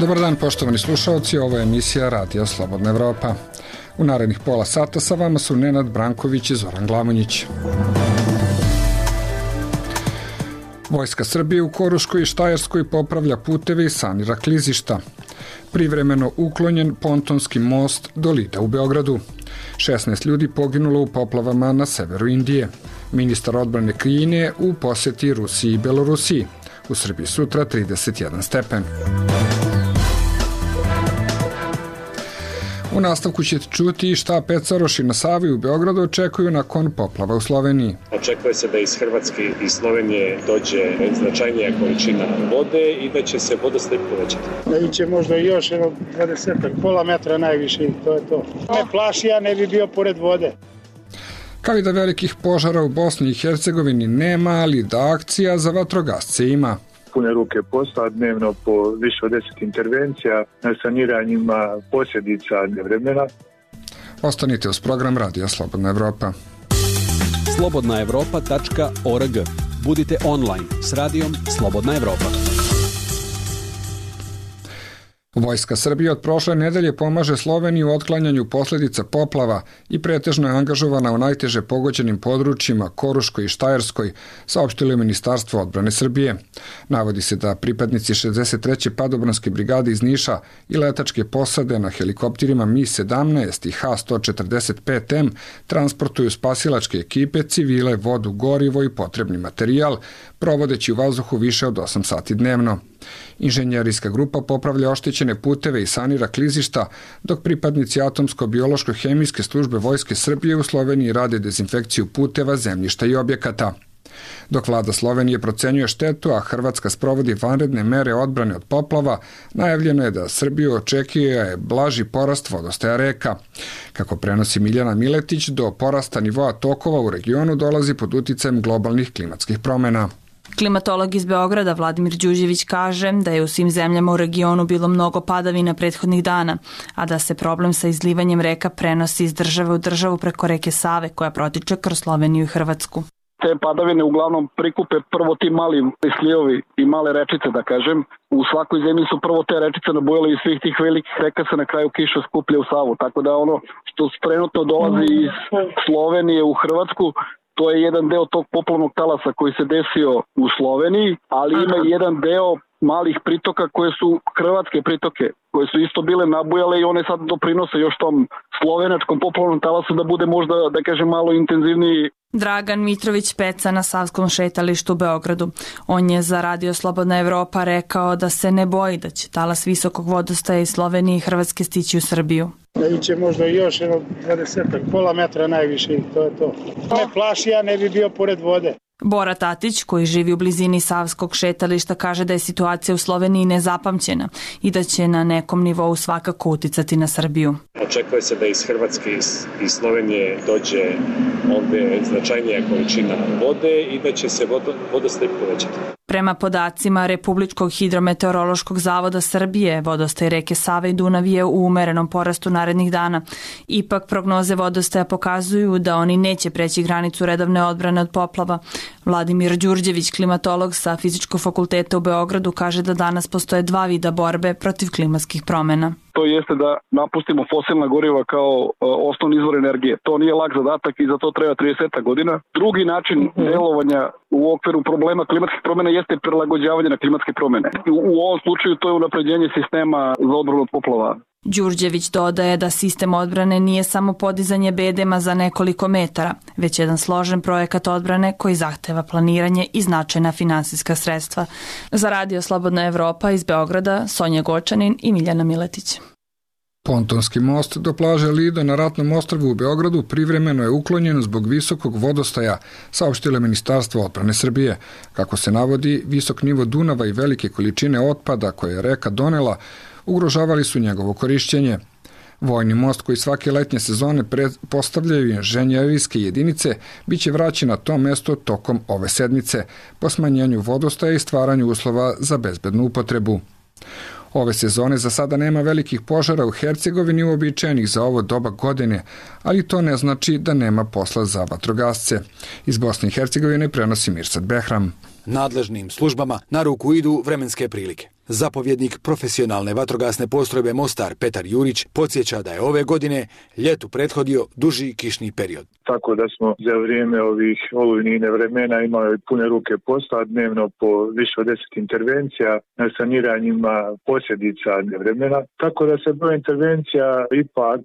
Dobar dan, poštovani slušalci, ovo je emisija Radija Slobodna Evropa. U narednih pola sata sa vama su Nenad Branković i Zoran Glamonjić. Vojska Srbije u Koruškoj i Štajerskoj popravlja puteve i sanira klizišta. Privremeno uklonjen pontonski most do Lida u Beogradu. 16 ljudi poginulo u poplavama na severu Indije. Ministar odbrane Kine u poseti Rusiji i Belorusiji. U Srbiji sutra 31 stepen. U nastavku ćete čuti šta pecaroši na Savi u Beogradu očekuju nakon poplava u Sloveniji. Očekuje se da iz Hrvatske i Slovenije dođe značajnija količina vode i da će se vodostaj povećati. Da iće možda još 20 pola metra najviše i to je to. Ne plaši, ja ne bi bio pored vode. Kao i da velikih požara u Bosni i Hercegovini nema, ali da akcija za vatrogasce ima. Pune ruke posla, dnevno po više od 10 intervencija na saniranjima posljedica nevremena. Ostanite uz program Radija Slobodna Evropa. slobodnaevropa.org. Budite online s radijom Slobodna Evropa. Vojska Srbije od prošle nedelje pomaže Sloveniji u otklanjanju posljedica poplava i pretežno je angažovana u najteže pogođenim područjima Koruškoj i Štajerskoj, saopštilo je Ministarstvo odbrane Srbije. Navodi se da pripadnici 63. padobranske brigade iz Niša i letačke posade na helikopterima Mi-17 i H-145M transportuju spasilačke ekipe, civile, vodu, gorivo i potrebni materijal, provodeći u vazduhu više od 8 sati dnevno. Inženjerijska grupa popravlja oštećene puteve i sanira klizišta, dok pripadnici atomsko-biološko-hemijske službe Vojske Srbije u Sloveniji rade dezinfekciju puteva, zemljišta i objekata. Dok vlada Slovenije procenjuje štetu, a Hrvatska sprovodi vanredne mere odbrane od poplava, najavljeno je da Srbiju očekuje blaži porast vodostaja reka. Kako prenosi Miljana Miletić, do porasta nivoa tokova u regionu dolazi pod uticajem globalnih klimatskih promjena. Klimatolog iz Beograda Vladimir Đurđević kaže da je u svim zemljama u regionu bilo mnogo padavina prethodnih dana, a da se problem sa izlivanjem reka prenosi iz države u državu preko reke Save koja protiče kroz Sloveniju i Hrvatsku. Te padavine uglavnom prikupe prvo ti mali slijevi i male rečice, da kažem. U svakoj zemlji su prvo te rečice nabujale i svih tih velikih reka se na kraju kiša skuplja u Savu. Tako da ono što trenutno dolazi iz Slovenije u Hrvatsku, to je jedan deo tog poplavnog talasa koji se desio u Sloveniji, ali ima jedan deo malih pritoka koje su hrvatske pritoke, koje su isto bile nabujale i one sad doprinose još tom slovenačkom poplavnom talasu da bude možda, da kažem, malo intenzivniji. Dragan Mitrović peca na Savskom šetalištu u Beogradu. On je za Radio Slobodna Evropa rekao da se ne boji da će talas visokog vodostaja iz Slovenije i Hrvatske stići u Srbiju. Da iće možda još 20 pola metra najviše i to je to. Ne plaši, ja ne bi bio pored vode. Bora Tatić, koji živi u blizini Savskog šetališta, kaže da je situacija u Sloveniji nezapamćena i da će na nekom nivou svakako uticati na Srbiju. Očekuje se da iz Hrvatske i Slovenije dođe ovde značajnija količina vode i da će se vodostaj povećati. Prema podacima Republičkog hidrometeorološkog zavoda Srbije, vodostaj reke Save i Dunav je u umerenom porastu narednih dana. Ipak prognoze vodostaja pokazuju da oni neće preći granicu redovne odbrane od poplava. Vladimir Đurđević, klimatolog sa Fizičkog fakulteta u Beogradu, kaže da danas postoje dva vida borbe protiv klimatskih promjena. To jeste da napustimo fosilna goriva kao osnovni izvor energije. To nije lak zadatak i za to treba 30 godina. Drugi način delovanja u okviru problema klimatskih promjena jeste prilagođavanje na klimatske promjene. U ovom slučaju to je unapređenje sistema za odbranu od poplava. Đurđević dodaje da sistem odbrane nije samo podizanje bedema za nekoliko metara, već jedan složen projekat odbrane koji zahteva planiranje i značajna finansijska sredstva. Za Radio Slobodna Evropa iz Beograda, Sonja Gočanin i Miljana Miletić. Pontonski most do plaže Lido na Ratnom ostrvu u Beogradu privremeno je uklonjen zbog visokog vodostaja, saopštilo je Ministarstvo odbrane Srbije. Kako se navodi, visok nivo Dunava i velike količine otpada koje je reka donela ugrožavali su njegovo korišćenje. Vojni most koji svake letnje sezone postavljaju inženjerijske jedinice biće vraćen na to mesto tokom ove sedmice po smanjenju vodostaja i stvaranju uslova za bezbednu upotrebu. Ove sezone za sada nema velikih požara u Hercegovini uobičajenih za ovo doba godine, ali to ne znači da nema posla za vatrogasce. Iz Bosne i Hercegovine prenosi Mirsad Behram. Nadležnim službama na ruku idu vremenske prilike. Zapovjednik profesionalne vatrogasne postrojbe Mostar Petar Jurić podsjeća da je ove godine ljetu prethodio duži kišni period. Tako da smo za vrijeme ovih olujnih vremena imali pune ruke posla, dnevno po više od 10 intervencija na saniranjima posljedica nevremena. Tako da se broj intervencija ipak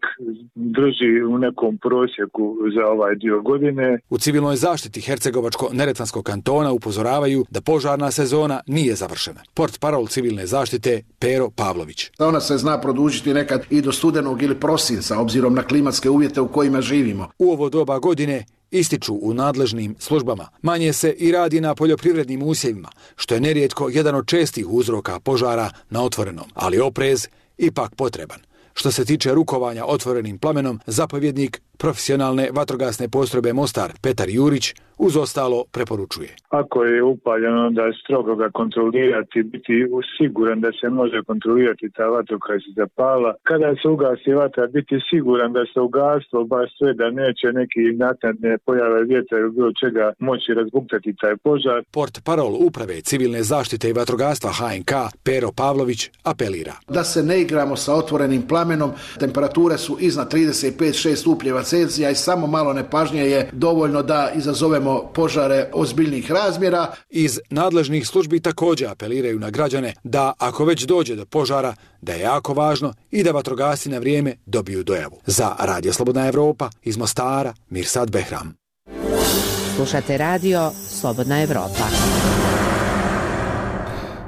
drži u nekom prosjeku za ovaj dio godine. U civilnoj zaštiti Hercegovačko-Neretvanskog kantona upozoravaju da požarna sezona nije završena. Portparol civilne zaštite Pero Pavlović. Ona se zna produžiti nekad i do studenog ili prosinca, obzirom na klimatske uvjete u kojima živimo. U ovo doba godine, ističu u nadležnim službama, manje se i radi na poljoprivrednim usjevima, što je nerijetko jedan od čestih uzroka požara na otvorenom, ali oprez ipak potreban. Što se tiče rukovanja otvorenim plamenom, zapovjednik profesionalne vatrogasne postrojbe Mostar Petar Jurić uz ostalo preporučuje. Ako je upaljeno, onda strogo ga kontrolirati, biti siguran da se može kontrolirati ta vatra koja se zapala. Kada se ugasi vatra, biti siguran da se ugaslo baš sve, da neće neki naknadne pojave vjetra ili bilo čega moći razbuktati taj požar. Portparol uprave civilne zaštite i vatrogastva HNK Pero Pavlović apelira. Da se ne igramo sa otvorenim plamenom, temperature su iznad 35-6 stupnjeva Celzija i samo malo nepažnje je dovoljno da izazovemo požare ozbiljnih razmjera. Iz nadležnih službi također apeliraju na građane da ako već dođe do požara, da je jako važno i da vatrogasci na vrijeme dobiju dojavu. Za Radio Slobodna Evropa iz Mostara, Mirsad Behram. Slušate Radio Slobodna Evropa.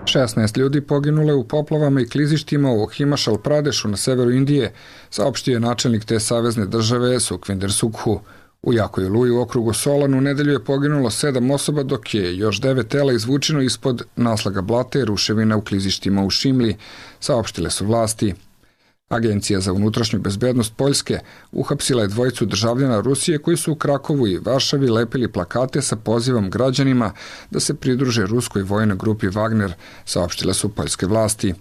16 ljudi poginule u poplavama i klizištima u Himachal Pradešu na severu Indije, saopštio je načelnik te savezne države Sukhvinder Sukhu. U jakoj oluji u okrugu Solan u nedelju je poginulo 7 osoba, dok je još 9 tela izvučeno ispod naslaga blata i ruševina u klizištima u Šimli, saopštile su vlasti. Agencija za unutrašnju bezbednost Poljske uhapsila je dvojicu državljana Rusije koji su u Krakovu i Varšavi lepili plakate sa pozivom građanima da se pridruže ruskoj vojnoj grupi Wagner, saopštile su poljske vlasti.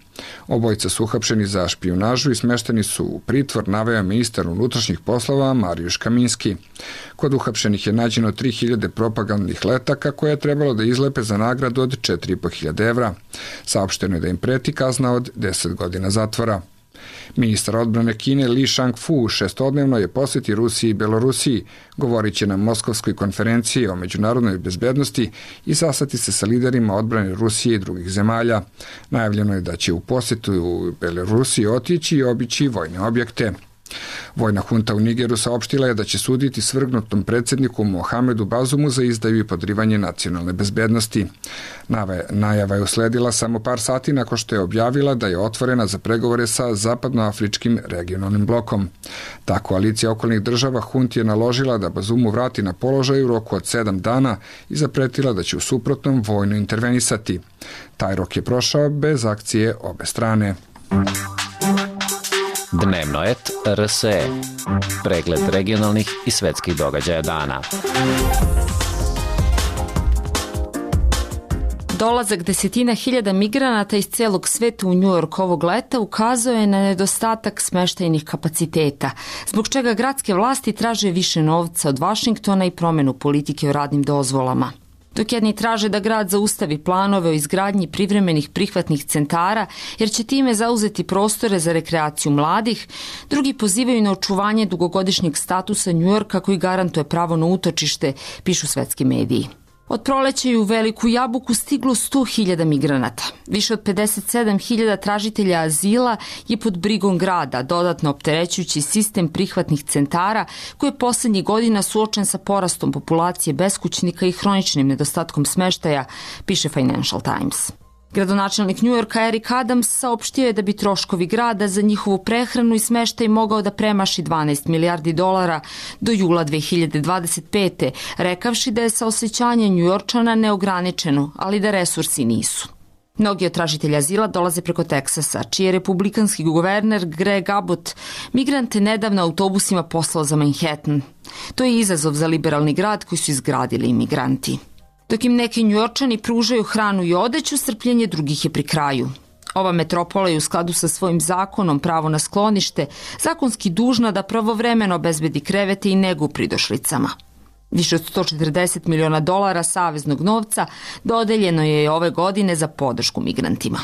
Obojica su uhapšeni za špijunažu i smešteni su u pritvor, naveo ministar unutrašnjih poslova Marijuš Kaminski. Kod uhapšenih je nađeno 3000 propagandnih letaka koje je trebalo da izlepe za nagradu od 4.500 evra. Saopšteno je da im preti kazna od 10 godina zatvora. Ministar odbrane Kine Li Shangfu šestodnevno je posjeti Rusiji i Belorusiji, govoriće na Moskovskoj konferenciji o međunarodnoj bezbednosti i sastati se sa liderima odbrane Rusije i drugih zemalja. Najavljeno je da će u posjetu u Belorusiji otići i obići vojne objekte. Vojna hunta u Nigeru saopštila je da će suditi svrgnutom predsjedniku Mohamedu Bazumu za izdaju i podrivanje nacionalne bezbednosti. Najava je usledila samo par sati nakon što je objavila da je otvorena za pregovore sa zapadnoafričkim regionalnim blokom. Ta koalicija okolnih država hunti je naložila da Bazumu vrati na položaj u roku od 7 dana i zapretila da će u suprotnom vojno intervenisati. Taj rok je prošao bez akcije obe strane. Dnevno et RSE. Pregled regionalnih i svetskih događaja dana. Dolazak desetina hiljada migranata iz celog sveta u New York ovog leta ukazao je na nedostatak smeštajnih kapaciteta, zbog čega gradske vlasti traže više novca od Vašingtona i promjenu politike o radnim dozvolama. Dok jedni traže da grad zaustavi planove o izgradnji privremenih prihvatnih centara, jer će time zauzeti prostore za rekreaciju mladih, drugi pozivaju na očuvanje dugogodišnjeg statusa Njujorka koji garantuje pravo na utočište, pišu svetski mediji. Od proleća je u Veliku Jabuku stiglo 100.000 migranata. Više od 57.000 tražitelja azila je pod brigom grada, dodatno opterećujući sistem prihvatnih centara koji je posljednjih godina suočen sa porastom populacije beskućnika i hroničnim nedostatkom smeštaja, piše Financial Times. Gradonačelnik Njujorka Eric Adams saopštio je da bi troškovi grada za njihovu prehranu i smeštaj mogao da premaši $12 milijardi do jula 2025. rekavši da je saosećanje Njujorčana neograničeno, ali da resursi nisu. Mnogi od tražitelja azila dolaze preko Teksasa, čiji je republikanski guverner Greg Abbott migrante nedavno autobusima poslao za Manhattan. To je izazov za liberalni grad koji su izgradili imigranti. Dok im neki Njujorčani pružaju hranu i odeću, strpljenje drugih je pri kraju. Ova metropola je u skladu sa svojim zakonom pravo na sklonište zakonski dužna da pravovremeno obezbedi krevete i negu u pridošlicama. Više od $140 miliona saveznog novca dodeljeno je ove godine za podršku migrantima.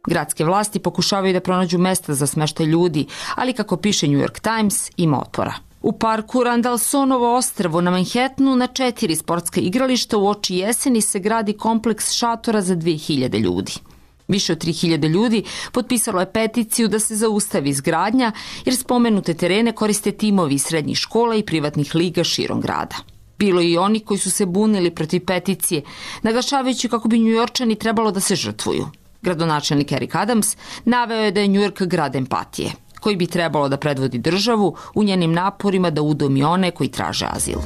Gradske vlasti pokušavaju da pronađu mesta za smeštaj ljudi, ali kako piše New York Times, ima otpora. U parku Randallsonovo ostrvo na Manhattanu na 4 sportska igrališta u oči jeseni se gradi kompleks šatora za 2000 ljudi. Više od 3000 ljudi potpisalo je peticiju da se zaustavi izgradnja, jer spomenute terene koriste timovi iz srednjih škola i privatnih liga širom grada. Bilo je i oni koji su se bunili protiv peticije, naglašavajući kako bi Njujorčani trebalo da se žrtvuju. Gradonačelnik Eric Adams naveo je da je Njujork grad empatije, koji bi trebalo da predvodi državu u njenim naporima da udomi one koji traže azil.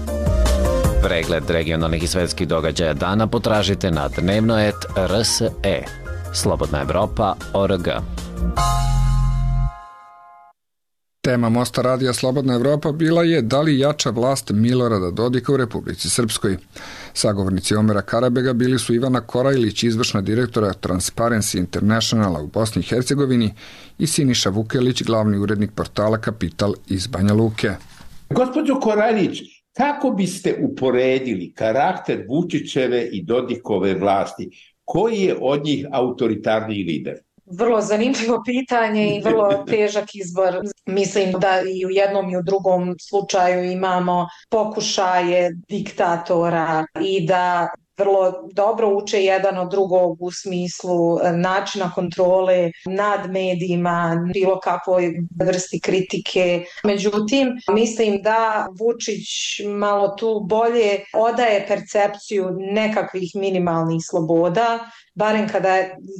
Pregled regionalnih i svetskih događaja dana potražite na dnevno.rs.e. Slobodna Evropa.org. Tema Mosta radija Slobodna Evropa bila je da li jača vlast Milorada Dodika u Republici Srpskoj. Sagovornici Omera Karabega bili su Ivana Korajlić, izvršna direktora Transparency Internationala u Bosni i Hercegovini, i Siniša Vukelić, glavni urednik portala Kapital iz Banja Luke. Gospođo Korajlić, kako biste uporedili karakter Vučićeve i Dodikove vlasti? Koji je od njih autoritarniji lider? Vrlo zanimljivo pitanje i vrlo težak izbor. Mislim da i u jednom i u drugom slučaju imamo pokušaje diktatora i da vrlo dobro uče jedan od drugog u smislu načina kontrole nad medijima, bilo kakvoj vrsti kritike. Međutim, mislim da Vučić malo tu bolje odaje percepciju nekakvih minimalnih sloboda, barem kada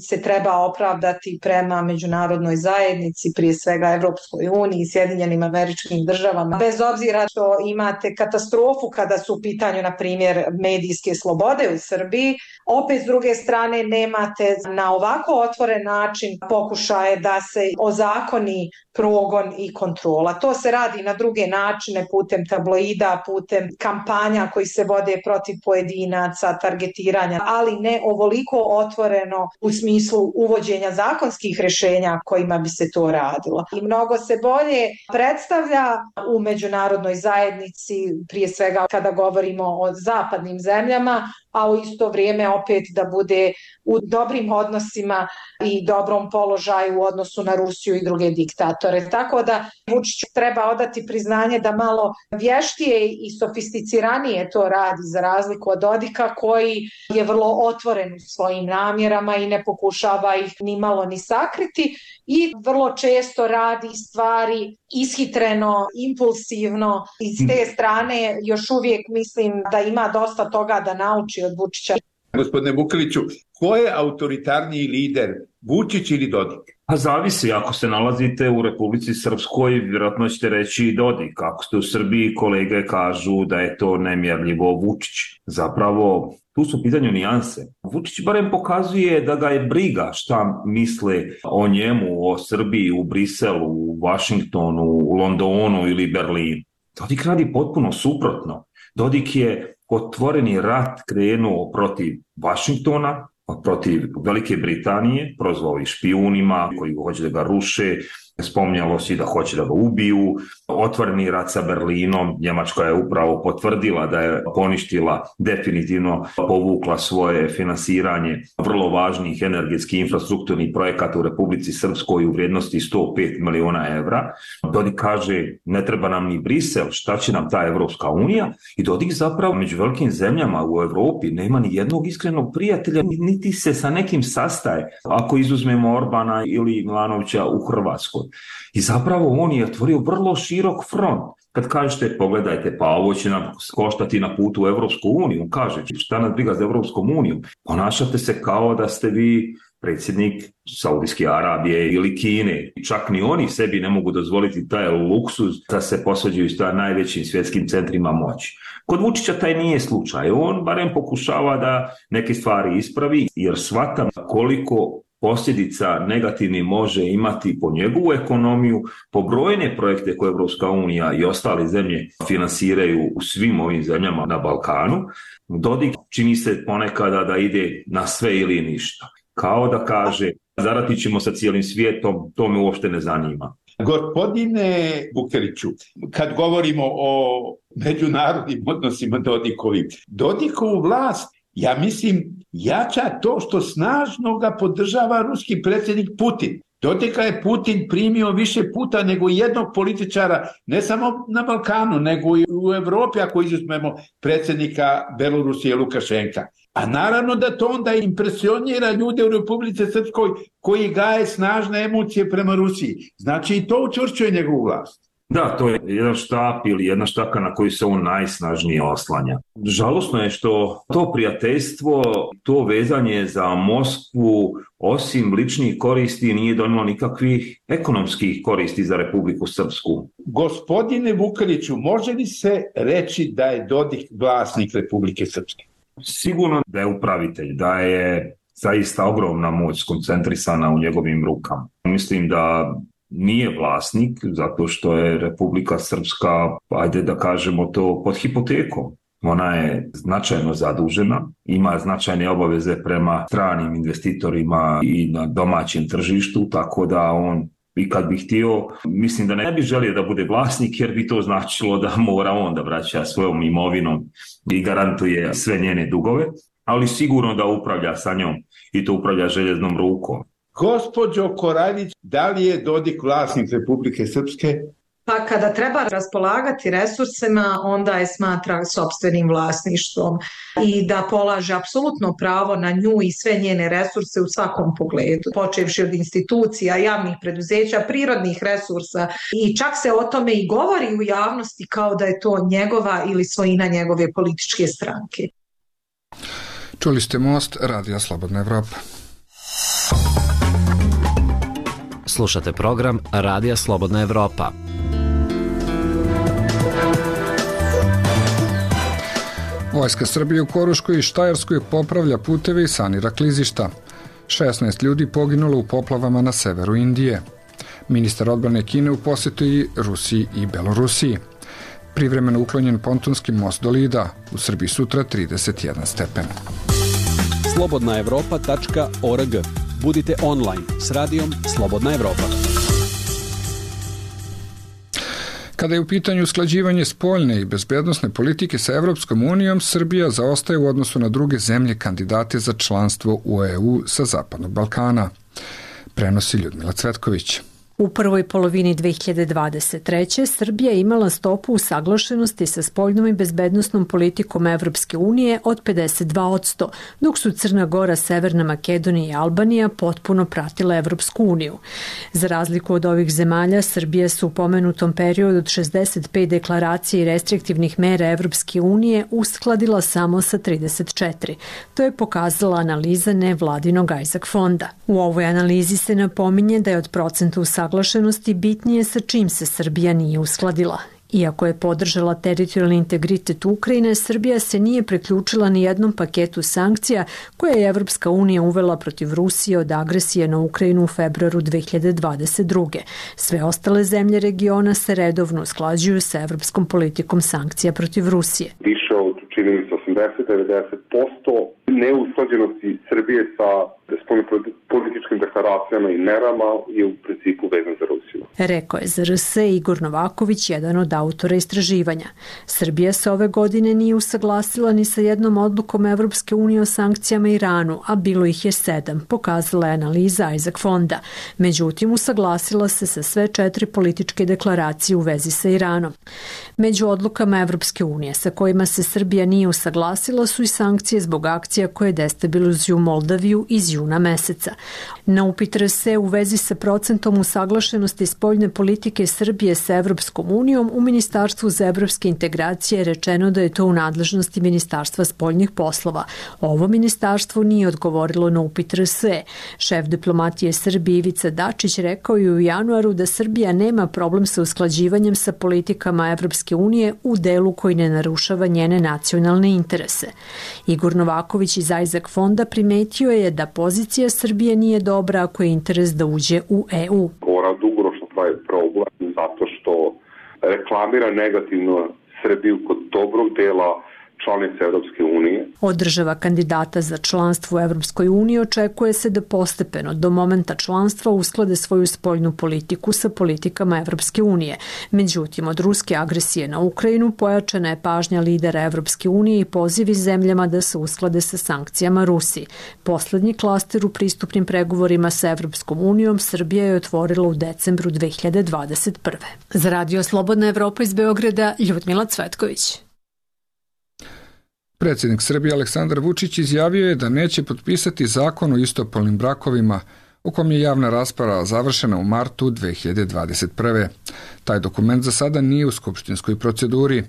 se treba opravdati prema međunarodnoj zajednici, prije svega Evropskoj uniji i Sjedinjenim Američkim Državama. Bez obzira što imate katastrofu kada su u pitanju, na primjer, medijske slobode u Srbiji, opet s druge strane nemate na ovako otvoren način pokušaje da se ozakoni progon i kontrola. To se radi na druge načine, putem tabloida, putem kampanja koji se vode protiv pojedinaca, targetiranja, ali ne ovoliko otvoreno u smislu uvođenja zakonskih rješenja kojima bi se to radilo. I mnogo se bolje predstavlja u međunarodnoj zajednici, prije svega kada govorimo o zapadnim zemljama, a u isto vrijeme opet da bude u dobrim odnosima i dobrom položaju u odnosu na Rusiju i druge diktatore. Tako da Vučiću treba odati priznanje da malo vještije i sofisticiranije to radi, za razliku od Dodika koji je vrlo otvoren u svojim namjerama i ne pokušava ih ni malo ni sakriti i vrlo često radi stvari ishitreno, impulsivno. I s te strane još uvijek mislim da ima dosta toga da nauči od Vučića. Gospodine Vukeliću, ko je autoritarniji lider, Vučić ili Dodik? Pa zavisi, ako se nalazite u Republici Srpskoj, vjerojatno ćete reći Dodik. Ako ste u Srbiji, kolege kažu da je to nemjerljivo Vučić. Zapravo, tu su u pitanju nijanse. Vučić barem pokazuje da ga je briga šta misle o njemu, o Srbiji, u Briselu, u Vašingtonu, u Londonu ili Berlinu. Dodik radi potpuno suprotno. Dodik je otvoreni rat krenuo protiv Vašingtona, protiv Velike Britanije, prozvao ih špijunima koji hoće da ga ruše, spominjalo se da hoće da ga ubiju, otvoreni rat sa Berlinom, Njemačka je upravo potvrdila da je poništila, definitivno povukla svoje finansiranje vrlo važnih energetskih infrastrukturnih projekata u Republici Srpskoj u vrijednosti 105 miliona evra. Dodik kaže, ne treba nam ni Brisel, šta će nam ta Evropska unija? I Dodik zapravo među velikim zemljama u Evropi nema ni jednog iskrenog prijatelja, niti se sa nekim sastaje, ako izuzmemo Orbana ili Milanovića u Hrvatskoj. I zapravo on je otvorio vrlo širok front. Kad kažete, pogledajte, pa ovo će nam koštati na putu u Evropsku uniju, on kaže, šta nas briga za Evropskom uniju? Ponašate se kao da ste vi predsjednik Saudijske Arabije ili Kine. Čak ni oni sebi ne mogu dozvoliti taj luksuz da se posvađaju s najvećim svjetskim centrima moći. Kod Vučića taj nije slučaj. On barem pokušava da neke stvari ispravi, jer shvata koliko posljedica negativni može imati po njegovu ekonomiju, po brojne projekte koje Evropska unija i ostale zemlje finansiraju u svim ovim zemljama na Balkanu. Dodik čini se ponekada da ide na sve ili ništa. Kao da kaže, zaratit ćemo sa cijelim svijetom, to me uopšte ne zanima. Gospodine Vukeliću, kad govorimo o međunarodnim odnosima Dodikovu vlast ja mislim, jača to što snažno ga podržava ruski predsjednik Putin. Dodika je Putin primio više puta nego jednog političara, ne samo na Balkanu, nego i u Evropi, ako izuzmemo predsjednika Belorusije Lukašenka. A naravno da to onda impresionira ljude u Republici Srpskoj koji gaje snažne emocije prema Rusiji. Znači i to učvršćuje njegovu vlast. Da, to je jedan štap ili jedna štaka na koju se on najsnažnije oslanja. Žalosno je što to prijateljstvo, to vezanje za Moskvu, osim ličnih koristi, nije donijelo nikakvih ekonomskih koristi za Republiku Srpsku. Gospodine Vukeliću, može li se reći da je Dodik vlasnik Republike Srpske? Sigurno da je upravitelj, da je zaista ogromna moć skoncentrisana u njegovim rukama. Mislim da nije vlasnik, zato što je Republika Srpska, ajde da kažemo to, pod hipotekom. Ona je značajno zadužena, ima značajne obaveze prema stranim investitorima i na domaćem tržištu, tako da on, i kad bi htio, mislim da ne bi želio da bude vlasnik, jer bi to značilo da mora on da vraća svojom imovinom i garantuje sve njene dugove, ali sigurno da upravlja sa njom i to upravlja željeznom rukom. Gospođo Koraljić, da li je Dodik vlasnik Republike Srpske? Pa kada treba raspolagati resursima, onda je smatra sopstvenim vlasništvom i da polaže apsolutno pravo na nju i sve njene resurse u svakom pogledu, počevši od institucija, javnih preduzeća, prirodnih resursa, i čak se o tome i govori u javnosti kao da je to njegova ili svojina njegove političke stranke. Čuli ste Most, Radio Slobodna Evropa. Slušate program Radija Slobodna Evropa. Vojska Srbije u Koruškoj i Štajerskoj popravlja puteve i sanira klizišta. 16 ljudi poginulo u poplavama na severu Indije. Ministar odbrane Kine u posjetu i Rusiji i Belorusiji. Privremeno uklonjen pontonski most do Lida. U Srbiji sutra 31 stepen. slobodnaevropa.org. Budite online s radijom Slobodna Evropa. Kada je u pitanju usklađivanje spoljne i bezbednosne politike sa Evropskom unijom, Srbija zaostaje u odnosu na druge zemlje kandidate za članstvo u EU sa Zapadnog Balkana. Prenosi Ljudmila Cvetković. U prvoj polovini 2023. Srbija je imala stopu usaglašenosti sa spoljnom i bezbednosnom politikom Evropske unije od 52%, dok su Crna Gora, Severna Makedonija i Albanija potpuno pratile Evropsku uniju. Za razliku od ovih zemalja, Srbija se u pomenutom periodu od 65 deklaracija i restriktivnih mera Evropske unije uskladila samo sa 34. To je pokazala analiza nevladinog Isaac fonda. U ovoj analizi se napominje da je od procenta usaglašenosti bitnije sa čim se Srbija nije uskladila. Iako je podržala teritorijalni integritet Ukrajine, Srbija se nije priključila ni jednom paketu sankcija koje je Evropska unija uvela protiv Rusije od agresije na Ukrajinu u februaru 2022. Sve ostale zemlje regiona se redovno usklađuju sa evropskom politikom sankcija protiv Rusije. Više od, čini mi se, 80-90% neusklađenosti Srbije sa političkim deklaracijama i merama je u principu vezan za Rusiju. Rekao je za RS Igor Novaković, jedan od autora istraživanja. Srbija se ove godine nije usaglasila ni sa jednom odlukom Evropske unije o sankcijama Iranu, a bilo ih je 7, pokazala je analiza Isaac fonda. Međutim, usaglasila se sa sve 4 političke deklaracije u vezi sa Iranom. Među odlukama Evropske unije sa kojima se Srbija nije usaglasila su i sankcije zbog akcija koje destabilizuju Moldaviju iz juna meseca. Na upit RS u vezi sa procentom usaglašenosti spoljne politike Srbije sa Evropskom unijom, u Ministarstvu za evropske integracije je rečeno da je to u nadležnosti Ministarstva spoljnih poslova. Ovo ministarstvo nije odgovorilo na upit RS. Šef diplomatije Srbije Ivica Dačić rekao je u januaru da Srbija nema problem sa usklađivanjem sa politikama Evropske unije u delu koji ne narušava njene nacionalne interese. Igor Novaković iz Isaac fonda primetio je da pozicija Srbije nije dobra ako je interes da uđe u EU. Ona dugoročno pravi problem zato što reklamira negativno Srbiju kod dobrog dela članice Evropske unije. Od država kandidata za članstvo u Evropskoj uniji očekuje se da postepeno do momenta članstva usklade svoju spoljnu politiku sa politikama Evropske unije. Međutim, od ruske agresije na Ukrajinu pojačana je pažnja lidera Evropske unije i pozivi zemljama da se usklade sa sankcijama Rusiji. Poslednji klaster u pristupnim pregovorima sa Evropskom unijom Srbija je otvorila u decembru 2021. Za Radio Slobodna Evropa iz Beograda, Ljudmila Cvetković. Predsjednik Srbije Aleksandar Vučić izjavio je da neće potpisati zakon o istopolnim brakovima, u kom je javna rasprava završena u martu 2021. Taj dokument za sada nije u skupštinskoj proceduri.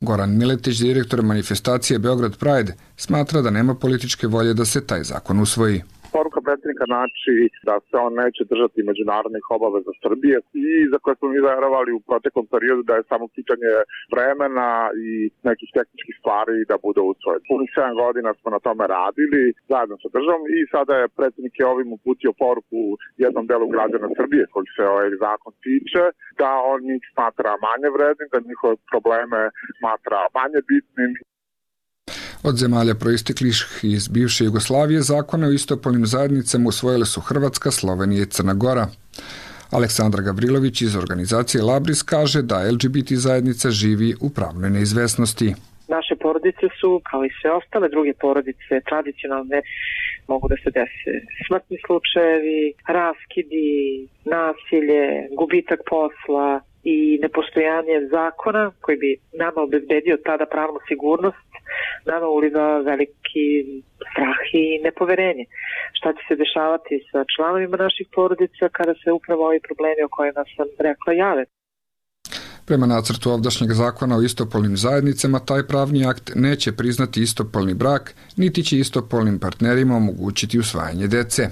Goran Miletić, direktor manifestacije Beograd Pride, smatra da nema političke volje da se taj zakon usvoji. Poruka predsjednika znači da se on neće držati međunarodnih obaveza Srbije i za koje smo mi verovali u proteklom periodu da je samo pitanje vremena i nekih tehničkih stvari da bude usvojen. Punih 7 godina smo na tome radili zajedno sa državom i sada je predsjednik je ovim uputio poruku jednom delu građana Srbije koji se ovaj zakon tiče, da on njih smatra manje vrednim, da njihove probleme smatra manje bitnim. Od zemalja proisteklih iz bivše Jugoslavije zakone o istopolnim zajednicama usvojile su Hrvatska, Slovenija i Crna Gora. Aleksandra Gavrilović iz organizacije Labris kaže da LGBT zajednica živi u pravnoj neizvesnosti. Naše porodice su, kao i sve ostale druge porodice, tradicionalne, mogu da se dese smrtni slučajevi, raskidi, nasilje, gubitak posla i nepostojanje zakona koji bi nama obezbedio tada pravnu sigurnost, nama uliva veliki strah i nepoverenje. Šta će se dešavati sa članovima naših porodica kada se upravo ovi problemi o kojima sam rekla jave? Prema nacrtu ovdašnjeg zakona o istopolnim zajednicama, taj pravni akt neće priznati istopolni brak, niti će istopolnim partnerima omogućiti usvajanje dece.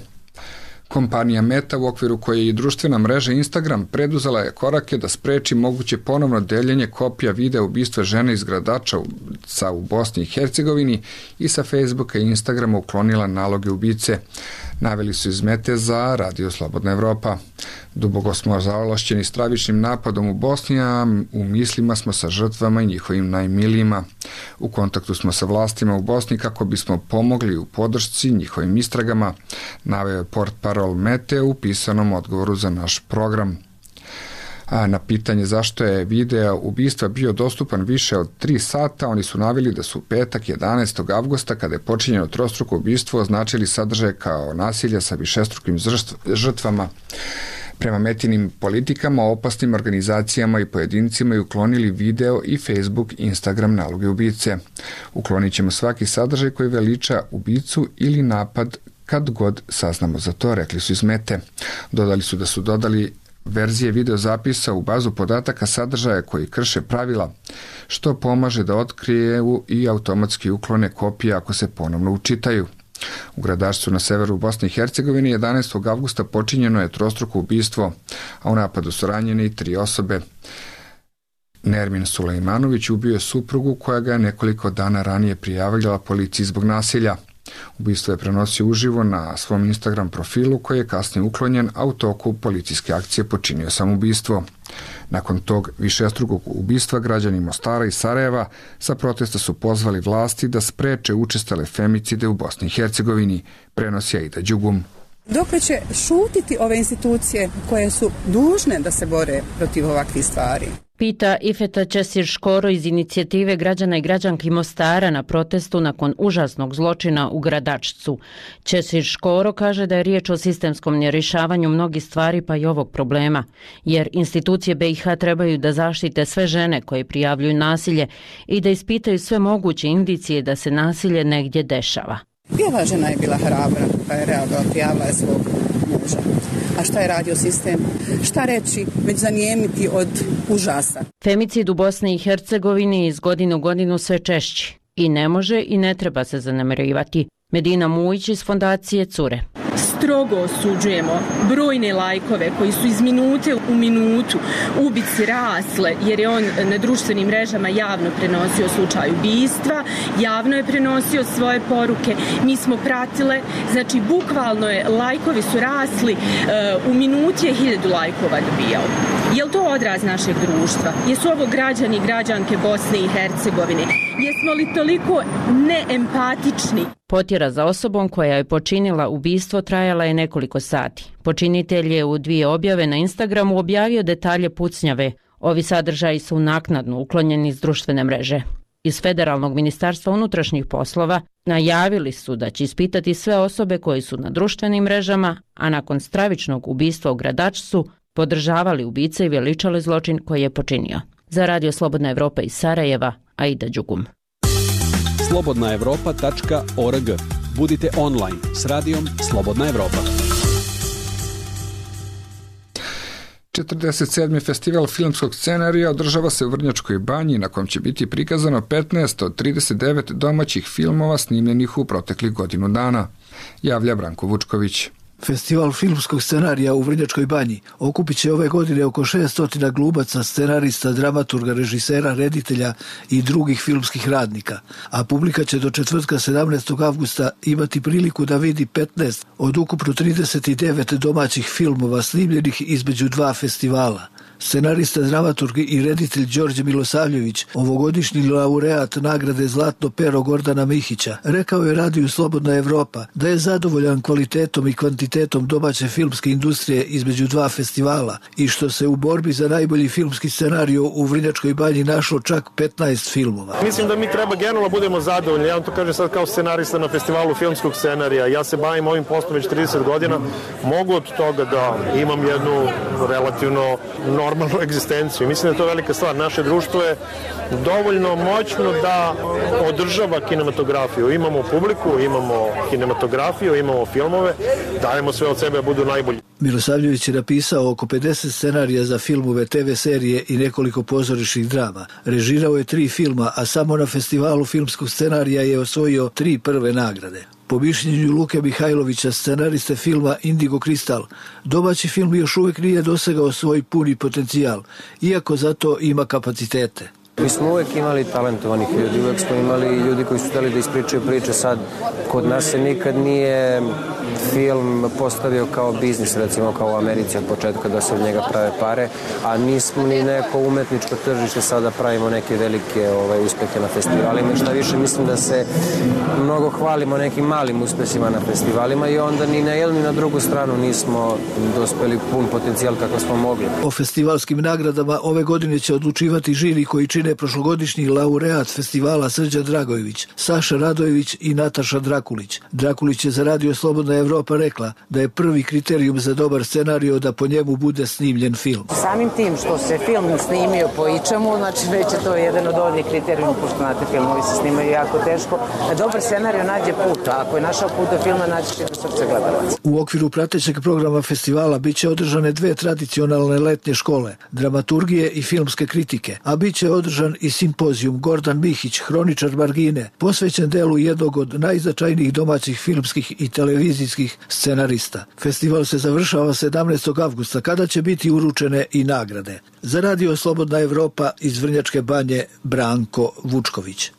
Kompanija Meta, u okviru koje je i društvena mreža Instagram, preduzela je korake da spreči moguće ponovno deljenje kopija videa ubistva žene iz Gradača u Bosni i Hercegovini i sa Facebooka i Instagrama uklonila naloge ubice. Naveli su iz Mete za Radio Slobodna Evropa. Duboko smo zaolašćeni stravičnim napadom u Bosni, a u mislima smo sa žrtvama i njihovim najmilijima. U kontaktu smo sa vlastima u Bosni kako bismo pomogli u podršci njihovim istragama, naveo je portparol Mete u pisanom odgovoru za naš program. A na pitanje zašto je video ubistva bio dostupan više od 3 sata, oni su naveli da su petak 11. avgusta, kada je počinjeno trostruko ubistvo, označili sadržaj kao nasilja sa višestrukim žrtvama. Prema Metinim politikama, opasnim organizacijama i pojedincima i uklonili video i Facebook, Instagram naloge ubice. Uklonit ćemo svaki sadržaj koji veliča ubicu ili napad kad god saznamo za to, rekli su iz Mete. Dodali su da su dodali verzije videozapisa u bazu podataka sadržaja koji krše pravila, što pomaže da otkriju i automatski uklone kopije ako se ponovno učitaju. U Gradačcu na severu Bosne i Hercegovine 11. avgusta počinjeno je trostruko ubistvo, a u napadu su ranjene i 3 osobe. Nermin Sulejmanović ubio je suprugu koja ga je nekoliko dana ranije prijavila policiji zbog nasilja. Ubistvo je prenosio uživo na svom Instagram profilu koji je kasnije uklonjen, a u toku policijske akcije počinio samoubistvo. Nakon tog višestrukog ubistva građani Mostara i Sarajeva sa protesta su pozvali vlasti da spreče učestale femicide u Bosni i Hercegovini, prenosi Aida Đugum. Dokle će šutiti ove institucije koje su dužne da se bore protiv ovakvih stvari? Pita Ifeta Ćesir-Škoro iz inicijative građana i građanki Mostara na protestu nakon užasnog zločina u Gradačcu. Ćesir-Škoro kaže da je riječ o sistemskom nerješavanju mnogih stvari pa i ovog problema, jer institucije BiH trebaju da zaštite sve žene koje prijavljuju nasilje i da ispitaju sve moguće indicije da se nasilje negdje dešava. I ova žena je bila hrabra pa je reagovala, prijavila je svog muža. A šta je radio sistem? Šta reći, već zanijemiti od užasa? Femicid u Bosni i Hercegovini iz godine u godinu sve češći. I ne može i ne treba se zanemarivati. Medina Mujić iz fondacije Cure. Strogo osuđujemo brojne lajkove koji su iz minute u minutu ubici rasle, jer je on na društvenim mrežama javno prenosio slučaj ubistva, javno je prenosio svoje poruke, mi smo pratile, znači bukvalno je, lajkovi su rasli, u minuti je 1000 lajkova dobijao. Je li to odraz našeg društva? Jesu ovo građani i građanke Bosne i Hercegovine? Jesmo li toliko neempatični? Potjera za osobom koja je počinila ubistvo trajala je nekoliko sati. Počinitelj je u 2 objave na Instagramu objavio detalje pucnjave. Ovi sadržaji su naknadno uklonjeni iz društvene mreže. Iz Federalnog ministarstva unutrašnjih poslova najavili su da će ispitati sve osobe koje su na društvenim mrežama, a nakon stravičnog ubistva u Gradačcu podržavali ubice i veličali zločin koji je počinio. Za Radio Slobodna Evropa iz Sarajeva, Aida Đugum. slobodnaevropa.org. Budite online s radijom Slobodna Evropa. 47. festival filmskog scenarija održava se u Vrnjačkoj banji, na kom će biti prikazano 15 od 39 domaćih filmova snimljenih u proteklih godinu dana, javlja Branko Vučković. Festival filmskog scenarija u Vrnjačkoj banji okupit će ove godine oko 600 glumaca, scenarista, dramaturga, režisera, reditelja i drugih filmskih radnika, a publika će do četvrtka 17. avgusta imati priliku da vidi 15 od ukupno 39 domaćih filmova snimljenih između 2 festivala. Scenarista, dramaturg i reditelj Đorđe Milosavljević, ovogodišnji laureat nagrade Zlatno pero Gordana Mihića, rekao je Radiju Slobodna Evropa da je zadovoljan kvalitetom i kvantitetom domaće filmske industrije između 2 festivala i što se u borbi za najbolji filmski scenario u Vrnjačkoj banji našlo čak 15 filmova. Mislim da mi treba generalno budemo zadovoljni. Ja vam to kažem sad kao scenarista na festivalu filmskog scenarija. Ja se bavim ovim poslom već 30 godina. Mogu od toga da imam jednu relativno normalnu egzistenciju. Mislim da je to velika stvar. Naše društvo je dovoljno moćno da održava kinematografiju. Imamo publiku, imamo kinematografiju, imamo filmove, dajemo sve od sebe da budu najbolji. Milosavljević je napisao oko 50 scenarija za filmove, TV serije i nekoliko pozorišnih drama. Režirao je 3 filma, a samo na festivalu filmskog scenarija je osvojio 3 prve nagrade. Po mišljenju Luke Mihajlovića, scenariste filma Indigo Kristal, domaći film još uvijek nije dosegao svoj puni potencijal, iako zato ima kapacitete. Mi smo uvijek imali talentovanih ljudi, uvijek smo imali ljudi koji su htjeli da ispričaju priče. Sad, kod nas se nikad nije film postavio kao biznis, recimo kao u Americi od početka da se od njega prave pare, a nismo ni neko umetničko tržište sada pravimo neke velike uspehe na festivalima. Šta više, mislim da se mnogo hvalimo nekim malim uspesima na festivalima i onda ni na jednu ni na drugu stranu nismo dospeli pun potencijal kako smo mogli. O festivalskim nagradama ove godine će odlučivati žiri koji čine prošlogodišnji laureat festivala Srđan Dragojević, Saša Radojević i Nataša Drakulić. Drakulić je za Radio Slobodna Evropa rekla da je prvi kriterijum za dobar scenario da po njemu bude snimljen film. Samim tim što se film snimio po ičemu, znači već je to jedan od ovih kriterijuma, pošto znate, filmovi se snimaju jako teško. Da dobar scenario nađe put, a ako je našao put do filma, naći će do srca gledalaca. U okviru pratećeg programa festivala biće održane 2 tradicionalne letnje škole, dramaturgije i filmske kritike, a biće održan i simpozijum Gordan Mihić, hroničar margine, posvećen delu jednog od najznačajnijih domaćih filmskih i televizijskih scenarista. Festival se završava 17. avgusta, kada će biti uručene i nagrade. Za Radio Slobodna Evropa iz Vrnjačke banje, Branko Vučković.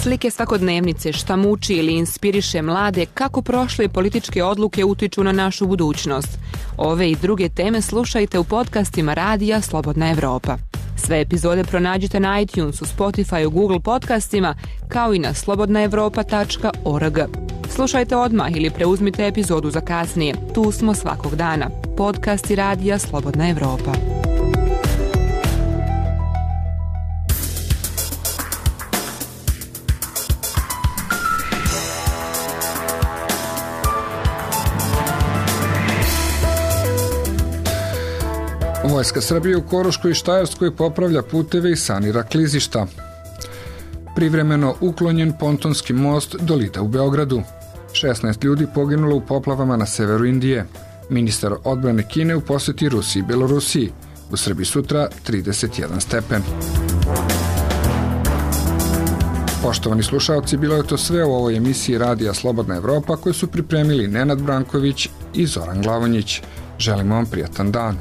Slike svakodnevnice, šta muči ili inspiriše mlade, kako prošle političke odluke utiču na našu budućnost. Ove i druge teme slušajte u podcastima Radija Slobodna Evropa. Sve epizode pronađite na iTunesu, Spotifyu, Google podcastima, kao i na slobodnaevropa.org. Slušajte odmah ili preuzmite epizodu za kasnije. Tu smo svakog dana. Podcasti Radija Slobodna Evropa. Vojska Srbije u Koruškoj i Štajerskoj popravlja puteve i sanira klizišta. Privremeno uklonjen pontonski most do Lida u Beogradu. 16 ljudi poginulo u poplavama na severu Indije. Ministar odbrane Kine u posjeti Rusiji i Belorusiji. U Srbiji sutra 31 stepen. Poštovani slušalci, bilo je to sve u ovoj emisiji Radija Slobodna Evropa koju su pripremili Nenad Branković i Zoran Glavonjić. Želimo vam prijatan dan.